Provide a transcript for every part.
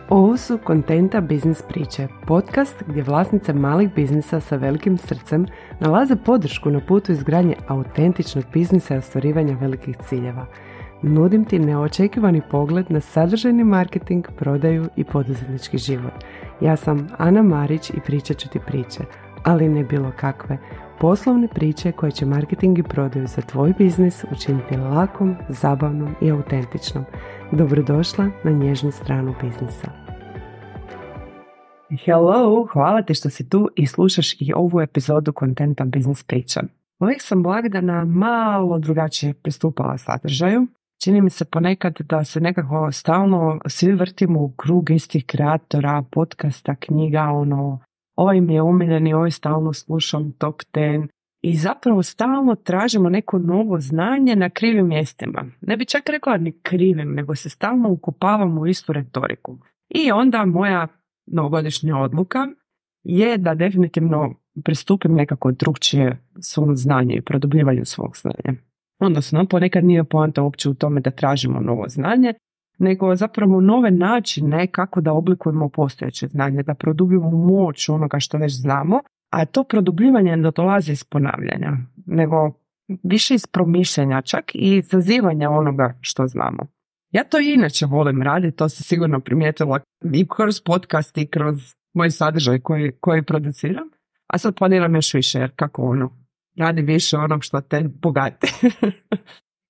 Ovo su Kontenta biznis priče, podcast gdje vlasnice malih biznisa sa velikim srcem nalaze podršku na putu izgradnje autentičnog biznisa i ostvarivanja velikih ciljeva. Nudim ti neočekivani pogled na sadržajni marketing, prodaju i poduzetnički život. Ja sam Ana Marić i pričat ću ti priče, ali ne bilo kakve. Poslovne priče koje će marketing i prodaju za tvoj biznis učiniti lakom, zabavnom i autentičnom. Dobrodošla na nježnu stranu biznisa. Hello, hvala ti što si tu i slušaš i ovu epizodu Kontenta biznis priča. Uvijek sam blagdana malo drugačije pristupala sadržaju. Čini mi se ponekad da se nekako stalno svi vrtimo u krug istih kreatora, podcasta, knjiga, ovaj mi je omiljeni, ovaj stalno slušam top 10 i zapravo stalno tražimo neko novo znanje na krivim mjestima. Ne bi čak rekla ni krivim, nego se stalno ukopavamo u istu retoriku. I onda moja novogodišnja odluka je da definitivno pristupim nekako drukčije svom znanju i produbljivanju svog znanja. Odnosno, ponekad nije poanta uopće u tome da tražimo novo znanje, nego zapravo nove načine kako da oblikujemo postojeće znanje, da produbimo moć onoga što već znamo, a to produbljivanje ne dolazi iz ponavljanja, nego više iz promišljanja, čak i zazivanja onoga što znamo. Ja to i inače volim raditi, to se sigurno primijetila i kroz podcast i kroz moj sadržaj koji produciram, a sad planiram još više, jer kako radi više onog što te bogati.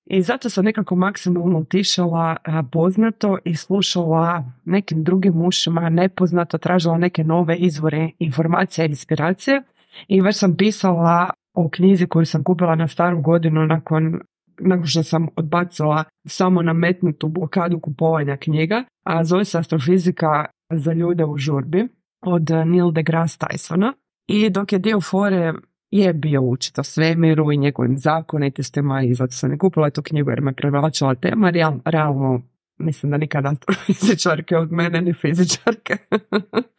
I zato sam nekako maksimalno utišala poznato i slušala nekim drugim ušima, nepoznato, tražila neke nove izvore informacija i inspiracije. I već sam pisala o knjizi koju sam kupila na staru godinu nakon što sam odbacila samo nametnutu blokadu kupovanja knjiga, a zove se Astrofizika za ljude u žurbi od Neil deGrasse Tysona. I dok je dio fore je bio učiti o svemiru i njegovim zakonitostima i zato sam i kupila tu knjigu jer me privlačila tema. Realno mislim da nikada astrofizičarke od mene ni fizičarke.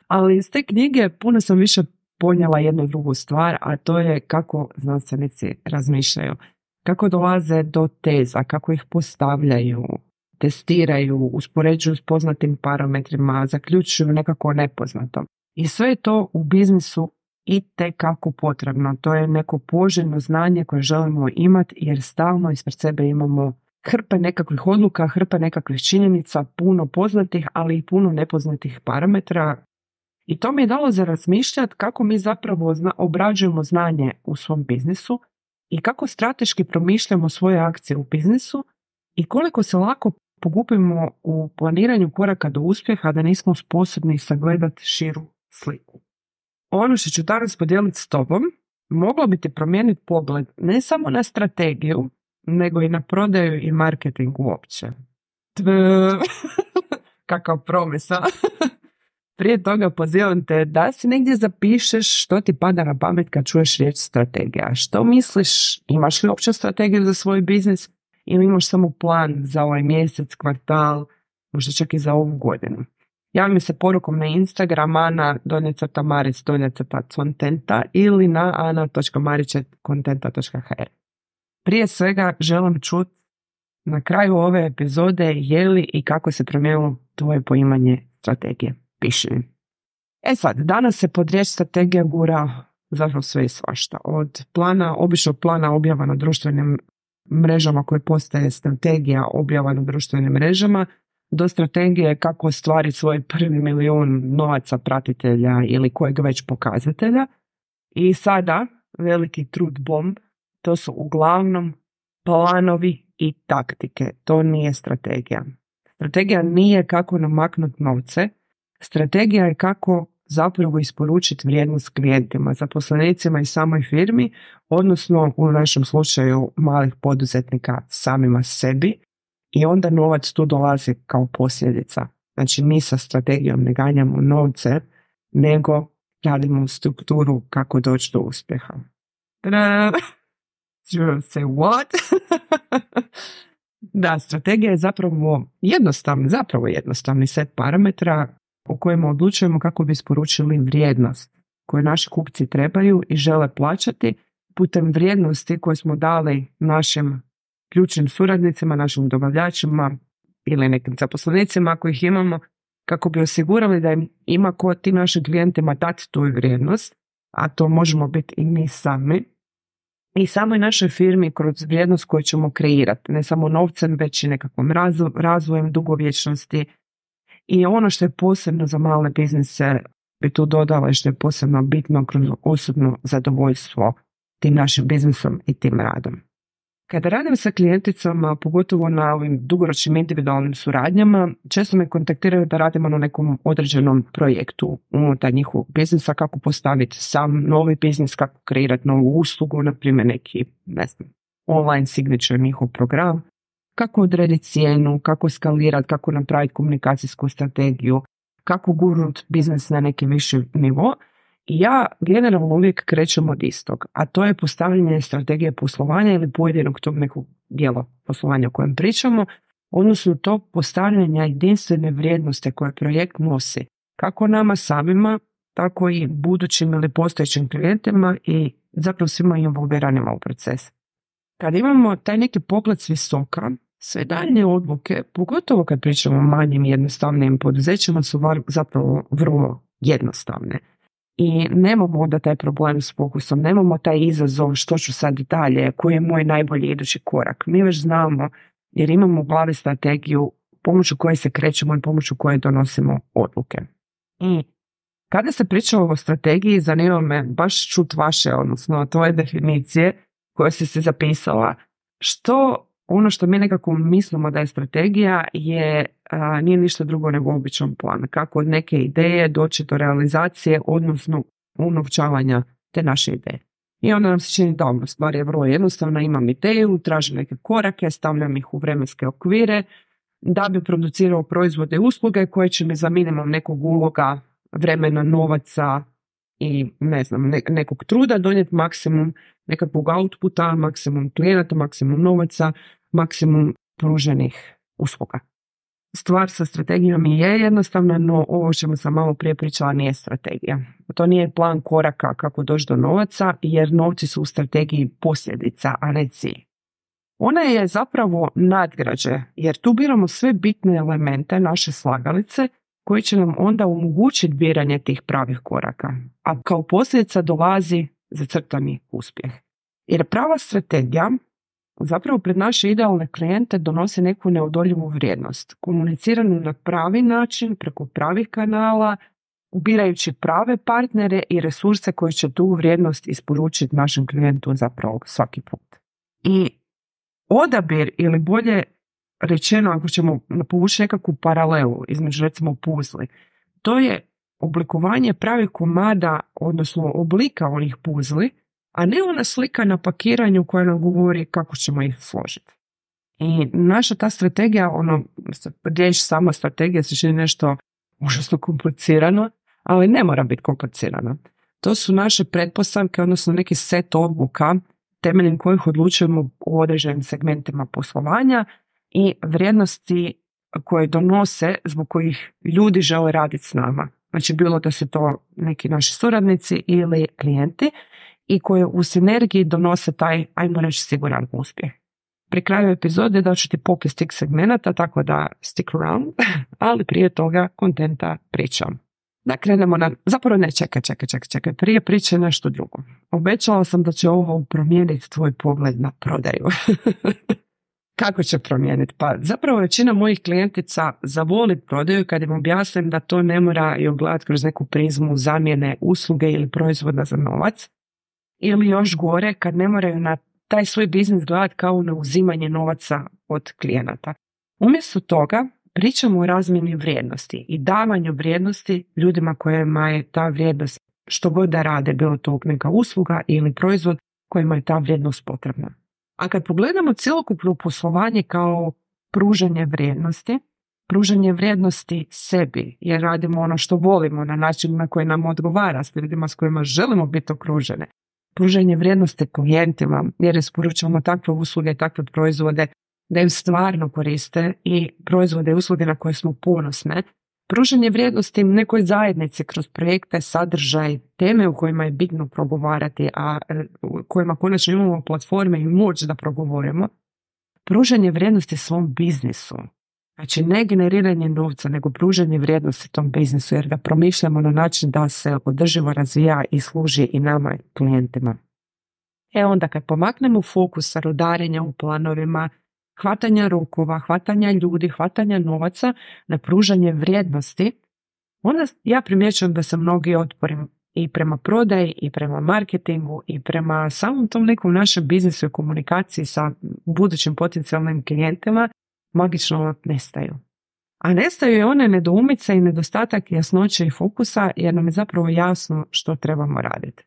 Ali iz te knjige puno sam više ponijela jednu drugu stvar, a to je kako znanstvenici razmišljaju. Kako dolaze do teza, kako ih postavljaju, testiraju, uspoređuju s poznatim parametrima, zaključuju nekako nepoznato. I sve je to u biznisu itekako potrebno. To je neko poželjno znanje koje želimo imati jer stalno ispred sebe imamo hrpe nekakvih odluka, hrpe nekakvih činjenica, puno poznatih, ali i puno nepoznatih parametra. I to mi je dalo za razmišljati kako mi zapravo obrađujemo znanje u svom biznisu i kako strateški promišljamo svoje akcije u biznisu i koliko se lako pogubimo u planiranju koraka do uspjeha da nismo sposobni sagledati širu sliku. Ono što ću danas podijeliti s tobom moglo bi ti promijeniti pogled ne samo na strategiju, nego i na prodaju i marketing uopće. Kakav promesa. Prije toga pozivam te da si negdje zapišeš što ti pada na pamet kad čuješ riječ strategija. Što misliš, imaš li uopće strategiju za svoj biznis ili imaš samo plan za ovaj mjesec, kvartal, možda čak i za ovu godinu. Javi mi se porukom na Instagram ana_maric_kontenta ili na ana.maric@kontenta.hr. Prije svega želim čuti na kraju ove epizode je li i kako se promijenilo tvoje poimanje strategije. Piši mi. Sad, danas se pod riječ strategija gura zapravo sve i svašta. Od običnog plana objava na društvenim mrežama koje postaje strategija objava na društvenim mrežama, do strategije kako ostvariti svoj prvi milijun novaca pratitelja ili kojeg već pokazatelja. I sada, veliki trud bomb, to su uglavnom planovi i taktike. To nije strategija. Strategija nije kako namaknuti novce. Strategija je kako zapravo isporučiti vrijednost klijentima, zaposlenicima i samoj firmi, odnosno u našem slučaju malih poduzetnika samima sebi. I onda novac tu dolazi kao posljedica. Znači mi sa strategijom ne ganjamo novce, nego radimo strukturu kako doći do uspjeha. Say what? Da, strategija je zapravo jednostavni set parametra u kojima odlučujemo kako bi isporučili vrijednost koju naši kupci trebaju i žele plaćati putem vrijednosti koje smo dali našim ključnim suradnicima, našim dobavljačima ili nekim zaposlenicima ako ih imamo, kako bi osigurali da im ima ko tim našim klijentima dati tu vrijednost, a to možemo biti i mi sami, i samoj našoj firmi kroz vrijednost koju ćemo kreirati, ne samo novcem, već i nekakvom razvojem, dugovječnosti. I ono što je posebno za male biznise bi tu dodala i što je posebno bitno kroz osobno zadovoljstvo tim našim biznisom i tim radom. Kada radim sa klijenticama, pogotovo na ovim dugoročnim individualnim suradnjama, često me kontaktiraju da radimo na nekom određenom projektu unutar njihovog biznisa, kako postaviti sam novi biznis, kako kreirati novu uslugu, na primjer neki, online signature njihov program, kako odrediti cijenu, kako skalirati, kako napraviti komunikacijsku strategiju, kako gurnuti biznis na neki viši nivo. I ja generalno uvijek krećem od istog, a to je postavljanje strategije poslovanja ili pojedinog tog nekog dijela poslovanja o kojem pričamo, odnosno to postavljanja jedinstvene vrijednosti koje projekt nosi, kako nama samima, tako i budućim ili postojećim klijentima i zapravo svima involviranima u proces. Kad imamo taj neki pogled s visoka, sve daljnje odluke, pogotovo kad pričamo o manjim i jednostavnim poduzećima, su zapravo vrlo jednostavne. I nemamo onda taj problem s fokusom, nemamo taj izazov što ću sad dalje, koji je moj najbolji idući korak. Mi već znamo jer imamo u glavi strategiju pomoću koje se krećemo i pomoću koje donosimo odluke. I kada se priča o strategiji, zanima me baš čut vaše, odnosno tvoje definicije koje si se zapisala. Ono što mi nekako mislimo da je strategija nije ništa drugo nego običan plan. Kako od neke ideje doći do realizacije, odnosno unovčavanja te naše ideje. I onda nam se čini da stvar je vrlo jednostavna, imam ideju, tražim neke korake, stavljam ih u vremenske okvire da bi producirao proizvode i usluge koje će mi za minimum nekog uloga, vremena, novaca i nekog truda donijeti maksimum nekakvog outputa, maksimum klijenata, maksimum novaca, maksimum pruženih usluga. Stvar sa strategijom je jednostavna, no ovo što sam malo prije pričala nije strategija. To nije plan koraka kako doći do novaca, jer novci su u strategiji posljedica, a ne cilj. Ona je zapravo nadgrađe, jer tu biramo sve bitne elemente naše slagalice koji će nam onda omogućiti biranje tih pravih koraka, a kao posljedica dolazi zacrtani uspjeh. Jer prava strategija zapravo pred naše idealne klijente donosi neku neodoljivu vrijednost, komuniciranu na pravi način, preko pravih kanala, ubirajući prave partnere i resurse koji će tu vrijednost isporučiti našem klijentu zapravo svaki put. I odabir, ili bolje rečeno, ako ćemo povući nekakvu paralelu između recimo puzli, to je oblikovanje pravih komada, odnosno oblika onih puzli, a ne ona slika na pakiranju koja nam govori kako ćemo ih složiti. I naša ta strategija, riječ sama strategija se čini nešto užasno komplicirano, ali ne mora biti komplicirano. To su naše pretpostavke, odnosno neki set odluka temeljem kojih odlučujemo u određenim segmentima poslovanja i vrijednosti koje donose zbog kojih ljudi žele raditi s nama. Znači bilo da su to neki naši suradnici ili klijenti i koje u sinergiji donose taj, ajmo reći, siguran uspjeh. Pri kraju epizode daću ti popis tih segmenata, tako da stick around, ali prije toga kontenta pričam. Da krenemo zapravo ne, čekaj, prije priče nešto drugo. Obećala sam da će ovo promijeniti tvoj pogled na prodaju. Kako će promijeniti? Pa zapravo većina mojih klijentica zavoli prodaju kad im objasnim da to ne mora i gledati kroz neku prizmu zamjene usluge ili proizvoda za novac, ili još gore kad ne moraju na taj svoj biznis gledati kao na uzimanje novaca od klijenata. Umjesto toga pričamo o razmjeni vrijednosti i davanju vrijednosti ljudima kojima je ta vrijednost, što god da rade, bilo to neka usluga ili proizvod kojima je ta vrijednost potrebna. A kad pogledamo cjelokupno poslovanje kao pružanje vrijednosti sebi, jer radimo ono što volimo na način na koji nam odgovara, s ljudima s kojima želimo biti okružene, pružanje vrijednosti klijentima, jer isporučujemo takve usluge, takve proizvode da im stvarno koriste i proizvode i usluge na koje smo ponosne, pružanje vrijednosti nekoj zajednici kroz projekte, sadržaj, teme u kojima je bitno progovarati, a u kojima konačno imamo platforme i moć da progovorimo, pružanje vrijednosti svom biznisu, Znači ne generiranje novca, nego pružanje vrijednosti tom biznisu, jer ga promišljamo na način da se održivo razvija i služi i nama klijentima. Onda kad pomaknemo fokus sa rudarenja u planovima, hvatanja rokova, hvatanja ljudi, hvatanja novaca na pružanje vrijednosti, onda ja primjećujem da se mnogi otpori i prema prodaji, i prema marketingu, i prema samom tom nekom našem biznisu i komunikaciji sa budućim potencijalnim klijentima magično nestaju. A nestaju i one nedoumice i nedostatak jasnoće i fokusa, jer nam je zapravo jasno što trebamo raditi.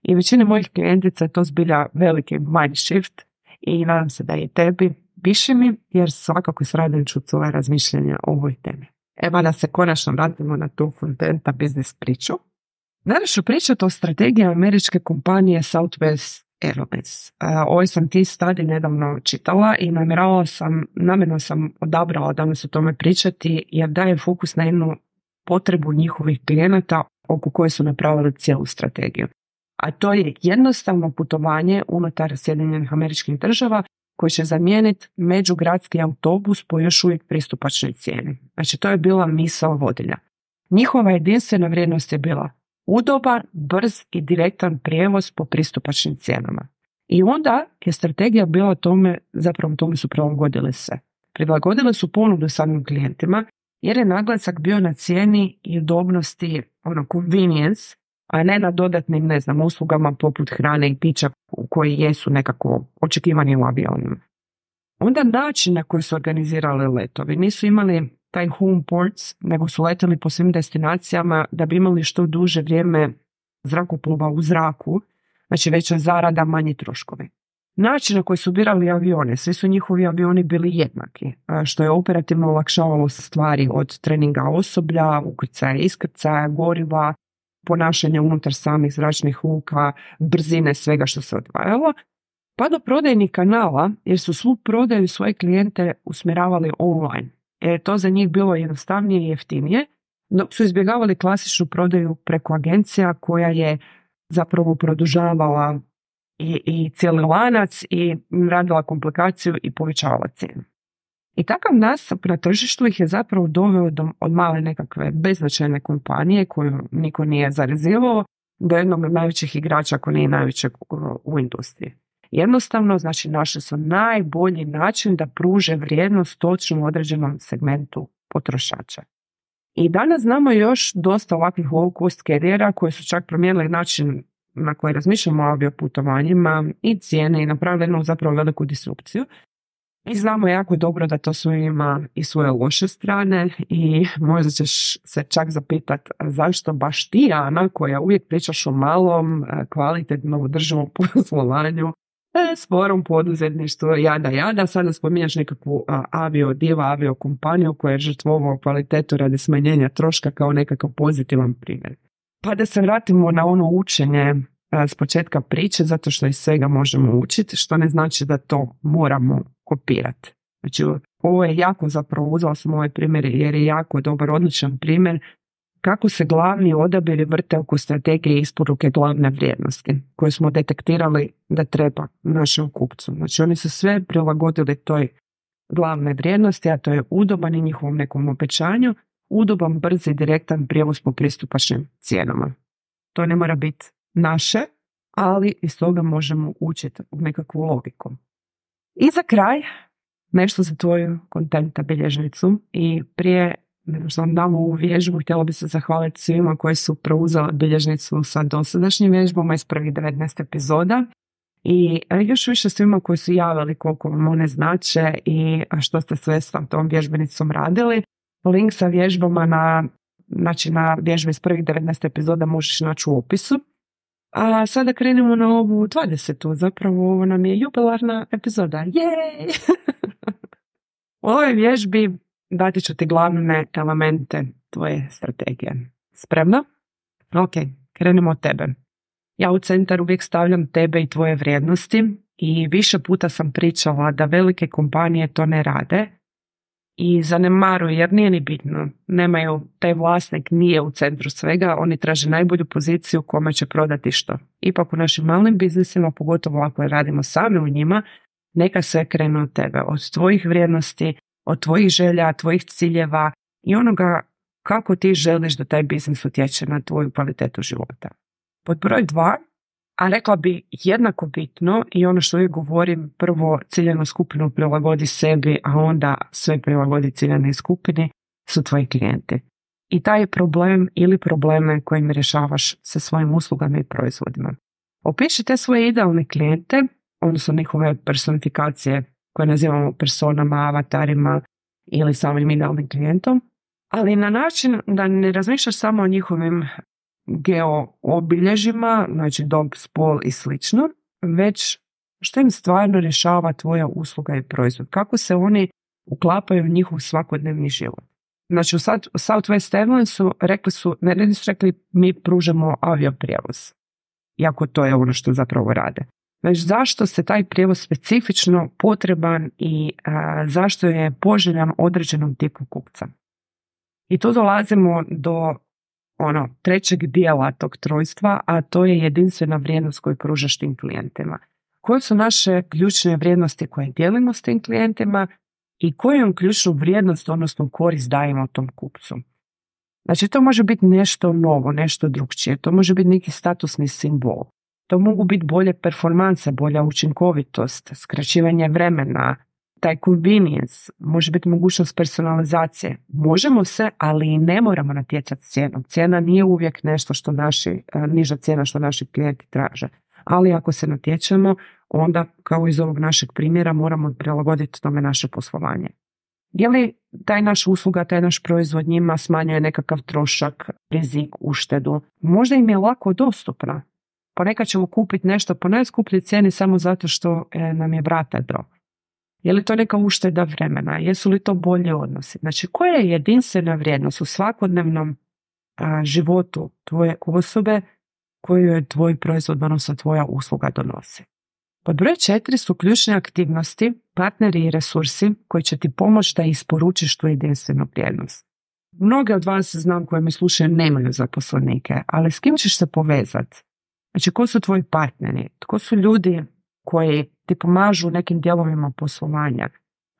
I većini mojih klijentica je to zbilja veliki mind shift i nadam se da i tebi. Piši mi, jer svakako s radim ću svoje razmišljanja o ovoj temi. Evo da se konačno vratimo na tu Contenta biznis priču. Danas ću pričati o strategiji američke kompanije Southwest Airlines. Ovaj sam case study nedavno čitala i namjerno sam odabrala danas o tome pričati, jer daje fokus na jednu potrebu njihovih klijenata oko koje su napravili cijelu strategiju. A to je jednostavno putovanje unutar Sjedinjenih Američkih Država koji će zamijeniti međugradski autobus po još uvijek pristupačnoj cijeni. Znači to je bila misao vodilja. Njihova jedinstvena vrijednost je bila udoban, brz i direktan prijevoz po pristupačnim cijenama. I onda je strategija bila tome su prilagodile se. Prilagodile su ponudu samim klijentima jer je naglasak bio na cijeni i udobnosti, convenience, a ne na dodatnim, uslugama poput hrane i pića koji jesu nekako očekivani u avionima. Onda način na koji su organizirali letovi, nisu imali taj home ports, nego su letali po svim destinacijama da bi imali što duže vrijeme zrakoplova u zraku, znači veća zarada, manji troškovi. Način na koji su birali avione, svi su njihovi avioni bili jednaki, što je operativno olakšavalo stvari od treninga osoblja, ukrcaja, iskrcaja, goriva, ponašanja unutar samih zračnih luka, brzine svega što se odvajalo, pa do prodajnih kanala, jer su svu prodaju svoje klijente usmjeravali online. Jer je to za njih bilo jednostavnije i jeftinije, dok su izbjegavali klasičnu prodaju preko agencija koja je zapravo produžavala i cijeli lanac i radila komplikaciju i povećavala cijenu. I takav nastup na tržištu ih je zapravo doveo od male nekakve beznačajne kompanije koju niko nije zarezivao do jednog od najvećih igrača, ako nije najvećeg u industriji. Jednostavno, znači, našli su najbolji način da pruže vrijednost točno određenom segmentu potrošača. I danas znamo još dosta ovakvih low cost karijera koji su čak promijenili način na koji razmišljamo o avioputovanjima i cijene i napravili jednu zapravo veliku disrupciju. I znamo jako dobro da to sve ima i svoje loše strane i možda ćeš se čak zapitati zašto baš ti, Ana, koja uvijek pričaš o malom, kvalitetnom, održivom poslovanju, sporom poduzetništvu, jada, sada spominjaš nekakvu aviokompaniju koja je žrtvovao kvalitetu radi smanjenja troška kao nekakav pozitivan primjer. Pa da se vratimo na ono učenje s početka priče, zato što iz svega možemo učiti, što ne znači da to moramo kopirati. Znači, ovo je jako, zapravo uzela sam ovaj primjer jer je jako dobar, odličan primjer kako se glavni odabiri vrte oko strategije isporuke glavne vrijednosti koje smo detektirali da treba našem kupcu. Znači, oni su sve prilagodili toj glavne vrijednosti, a to je udoban i njihovom nekom obećanju, udoban, brz i direktan prijevoz po pristupačnim cijenama. To ne mora biti naše, ali iz toga možemo učiti u nekakvu logiku. I za kraj, nešto za tvoju Contenta bilježnicu i prije nego što vam dam ovu vježbu, htjela bi se zahvaliti svima koji su preuzeli bilježnicu sa dosadašnjim vježbama iz prvih 19 epizoda i još više svima koji su javili koliko vam one znače i što ste sve s tom vježbenicom radili. Link sa vježbama na vježbe iz prvih 19 epizoda možeš naći u opisu. A sada krenemo na ovu 20. Zapravo ovo nam je jubilarna epizoda. Jej! U ovoj vježbi dati ću ti glavne elemente tvoje strategije. Spremna? Ok, krenemo od tebe. Ja u centar uvijek stavljam tebe i tvoje vrijednosti i više puta sam pričala da velike kompanije to ne rade i zanemaruju jer nije ni bitno. Nemaju, taj vlasnik nije u centru svega, oni traže najbolju poziciju kome će prodati što. Ipak u našim malim biznisima, pogotovo ako radimo sami u njima, neka sve krene od tebe, od tvojih vrijednosti, od tvojih želja, tvojih ciljeva i onoga kako ti želiš da taj biznis utječe na tvoju kvalitetu života. Pod broj 2, a rekla bi jednako bitno i ono što uvijek govorim, prvo ciljanu skupinu prilagodi sebi, a onda sve prilagodi ciljanoj skupini, su tvoji klijenti. I taj je problem ili probleme kojim rješavaš sa svojim uslugama i proizvodima. Opiši te svoje idealne klijente, odnosno njihove personifikacije koje nazivamo personama, avatarima ili samim idealnim klijentom, ali na način da ne razmišljaš samo o njihovim geoobilježjima, znači dob, spol i slično, već što im stvarno rješava tvoja usluga i proizvod, kako se oni uklapaju u njihov svakodnevni život. Znači u Southwest Airlinesu nisu rekli mi pružamo avioprijevoz, iako to je ono što zapravo rade. Već zašto se taj prijevoz specifično potreban i zašto je poželjan određenom tipu kupca. I tu dolazimo do trećeg dijela tog trojstva, a to je jedinstvena vrijednost koju pružaš tim klijentima. Koje su naše ključne vrijednosti koje dijelimo s tim klijentima i koju ključnu vrijednost, odnosno korist dajemo tom kupcu. Znači to može biti nešto novo, nešto drugčije, to može biti neki statusni simbol, to mogu biti bolje performanse, bolja učinkovitost, skraćivanje vremena, taj convenience, može biti mogućnost personalizacije. Možemo se, ali i ne moramo natjecati cijenom. Cijena nije uvijek nešto što niža cijena što naši klijenti traže. Ali ako se natječemo, onda kao iz ovog našeg primjera moramo prilagoditi tome naše poslovanje. Je li taj naš usluga, taj naš proizvod njima smanjuje nekakav trošak, rizik, uštedu? Možda im je lako dostupna. Ponekad ćemo kupiti nešto po najskupljoj cijeni samo zato što nam je brata do. Je li to neka ušteda vremena? Jesu li to bolje odnosi? Znači, koja je jedinstvena vrijednost u svakodnevnom životu tvoje osobe koju je tvoj proizvod, odnosno tvoja usluga donosi? Pod broj 4 su ključne aktivnosti, partneri i resursi koji će ti pomoći da isporučiš tu jedinstvenu vrijednost. Mnoge od vas, znam, koji me slušaju, nemaju zaposlenike, ali s kim ćeš se povezati? Znači, ko su tvoji partneri? Tko su ljudi koji ti pomažu u nekim dijelovima poslovanja?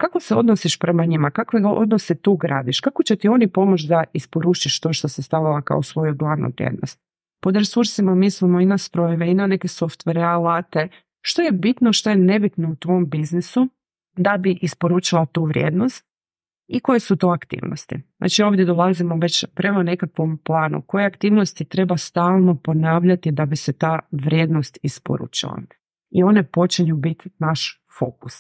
Kako se odnosiš prema njima? Kakve odnose tu gradiš? Kako će ti oni pomoći da isporučiš to što se stavila kao svoju glavnu vrijednost? Pod resursima mislimo i na strojeve, i na neke softvere, alate. Što je bitno, što je nebitno u tvom biznisu da bi isporučila tu vrijednost i koje su to aktivnosti. Znači ovdje dolazimo već prema nekakvom planu. Koje aktivnosti treba stalno ponavljati da bi se ta vrijednost isporučila. I one počinju biti naš fokus.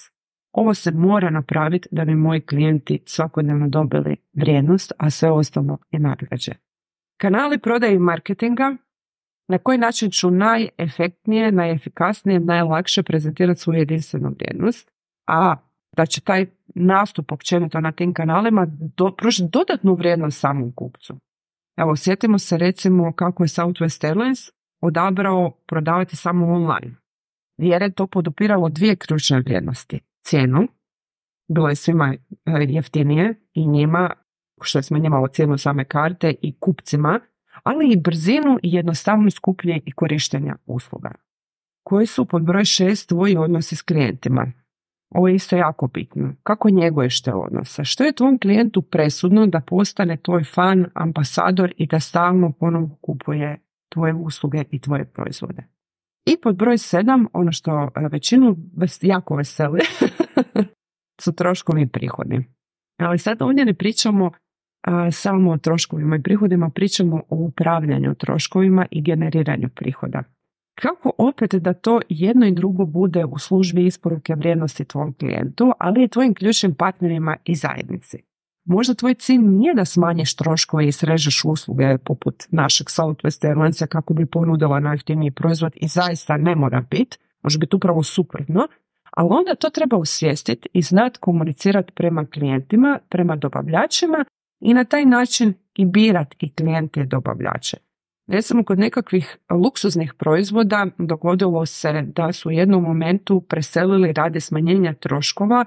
Ovo se mora napraviti da bi moji klijenti svakodnevno dobili vrijednost, a sve ostalo je nagrađe. Kanali prodaje i marketinga. Na koji način ću najefektnije, najefikasnije, najlakše prezentirati svoju jedinstvenu vrijednost, a da će taj nastup općenito na tim kanalima pružiti dodatnu vrijednost samom kupcu. Evo, sjetimo se recimo kako je Southwest Airlines odabrao prodavati samo online, jer je to podupiralo dvije ključne vrijednosti. Cijenu, bilo je svima jeftinije i njima, što je smanjivalo cijenu same karte, i kupcima, ali i brzinu i jednostavnost kupnje i korištenja usluga. Koji su pod broj 6 tvoji odnosi s klijentima? Ovo je isto jako bitno. Kako njeguješ te odnose? Što je tvom klijentu presudno da postane tvoj fan, ambasador i da stalno ponovno kupuje tvoje usluge i tvoje proizvode? I pod broj 7, ono što većinu jako veseli, su troškovi i prihodi. Ali sad ovdje ne pričamo samo o troškovima i prihodima, pričamo o upravljanju troškovima i generiranju prihoda. Kako opet da to jedno i drugo bude u službi isporuke vrijednosti tvom klijentu, ali i tvojim ključnim partnerima i zajednici? Možda tvoj cilj nije da smanjiš troškove i srežeš usluge poput našeg Southwest Airlinesa kako bi ponudila najjeftiniji proizvod, i zaista ne mora biti, može biti upravo suprotno, ali onda to treba osvijestiti i znati komunicirati prema klijentima, prema dobavljačima i na taj način i birati i klijente i dobavljače. Recimo kod nekakvih luksuznih proizvoda dogodilo se da su u jednom momentu preselili radi smanjenja troškova,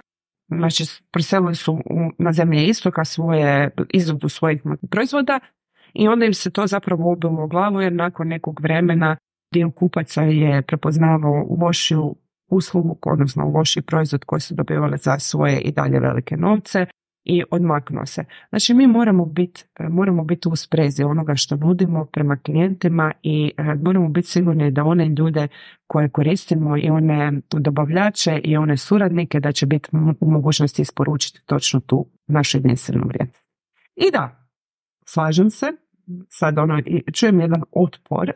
znači preselili su na zemlje istoka izradu svojih proizvoda i onda im se to zapravo ubilo u glavu, jer nakon nekog vremena dio kupaca je prepoznavao lošiju uslugu, odnosno lošiji proizvod koji su dobivali za svoje i dalje velike novce, i odmaknuo se. Znači mi moramo biti u sprezi onoga što nudimo prema klijentima i moramo biti sigurni da one ljude koje koristimo i one dobavljače i one suradnike da će biti u mogućnosti isporučiti točno tu našu jedinstvenu vrijednost. I da, slažem se, sad čujem jedan otpor,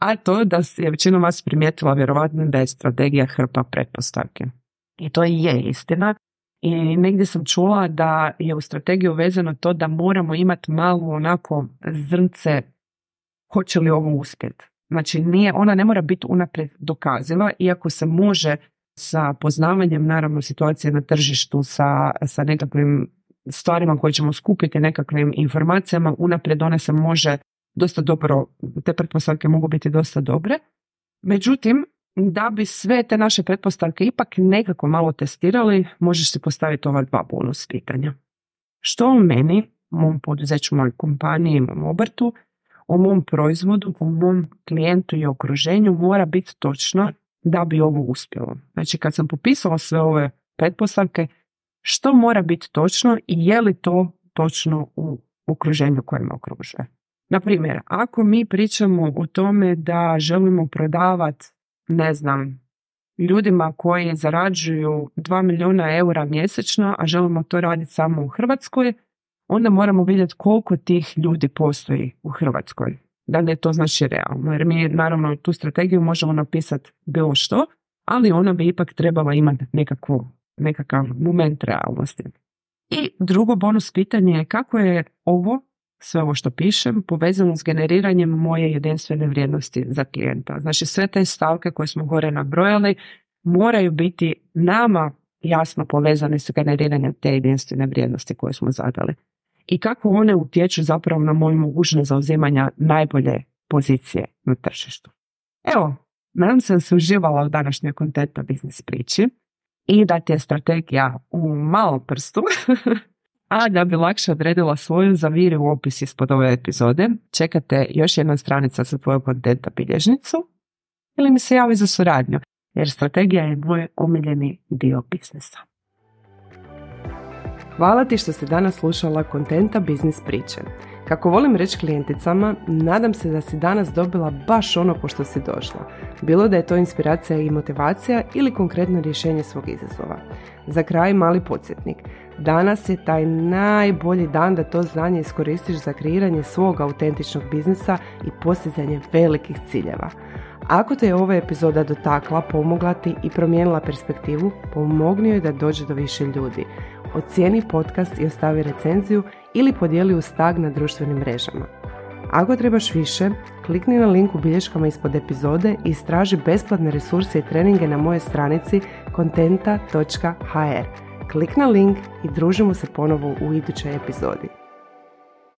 a to da je većina vas primijetila vjerovatno da je strategija hrpa pretpostavke. I to je istina. I negdje sam čula da je u strategiju vezano to da moramo imati malo onako zrnce hoće li ovo uspjeti. Znači ona ne mora biti unaprijed dokaziva, iako se može sa poznavanjem naravno situacije na tržištu, sa nekakvim stvarima koje ćemo skupiti, nekakvim informacijama, unaprijed ona se može dosta dobro, te pretpostavke mogu biti dosta dobre. Međutim, da bi sve te naše pretpostavke ipak nekako malo testirali, možeš si postaviti ova 2 bonus pitanja. Što o meni, mom poduzeću, mojoj kompaniji, mom obrtu, o mom proizvodu, o mom klijentu i okruženju mora biti točno da bi ovo uspjelo. Znači kad sam popisala sve ove pretpostavke, što mora biti točno i je li to točno u okruženju koje me okružuje. Na primjer, ako mi pričamo o tome da želimo prodavati, ne znam, ljudima koji zarađuju 2 milijuna eura mjesečno, a želimo to raditi samo u Hrvatskoj, onda moramo vidjeti koliko tih ljudi postoji u Hrvatskoj. Da li je to znači realno? Jer mi naravno tu strategiju možemo napisati bilo što, ali ona bi ipak trebala imati nekakav moment realnosti. I drugo bonus pitanje je kako je sve ovo što pišem, povezano s generiranjem moje jedinstvene vrijednosti za klijenta. Znači sve te stavke koje smo gore nabrojali moraju biti nama jasno povezane s generiranjem te jedinstvene vrijednosti koje smo zadali. I kako one utječu zapravo na moju mogućnost zauzimanja najbolje pozicije na tržištu. Evo, nadam se da si uživala u današnjoj Contenta biznis priči i da ti je strategija u malom prstu. A da bi lakše odredila svoju, zaviri u opis ispod ove epizode, čekate još jedna stranica za tvoju Contenta bilježnicu ili mi se javi za suradnju, jer strategija je moj omiljeni dio biznisa. Hvala ti što si danas slušala Contenta biznis priče. Kako volim reći klijenticama, nadam se da si danas dobila baš ono po što si došla. Bilo da je to inspiracija i motivacija ili konkretno rješenje svog izazova. Za kraj mali podsjetnik. Danas je taj najbolji dan da to znanje iskoristiš za kreiranje svog autentičnog biznisa i postizanje velikih ciljeva. Ako te je ova epizoda dotakla, pomogla ti i promijenila perspektivu, pomogni joj da dođe do više ljudi. Ocijeni podcast i ostavi recenziju ili podijeli uz tag na društvenim mrežama. Ako trebaš više, klikni na link u bilješkama ispod epizode i istraži besplatne resurse i treninge na mojoj stranici contenta.hr. Klik na link i družimo se ponovo u idućoj epizodi.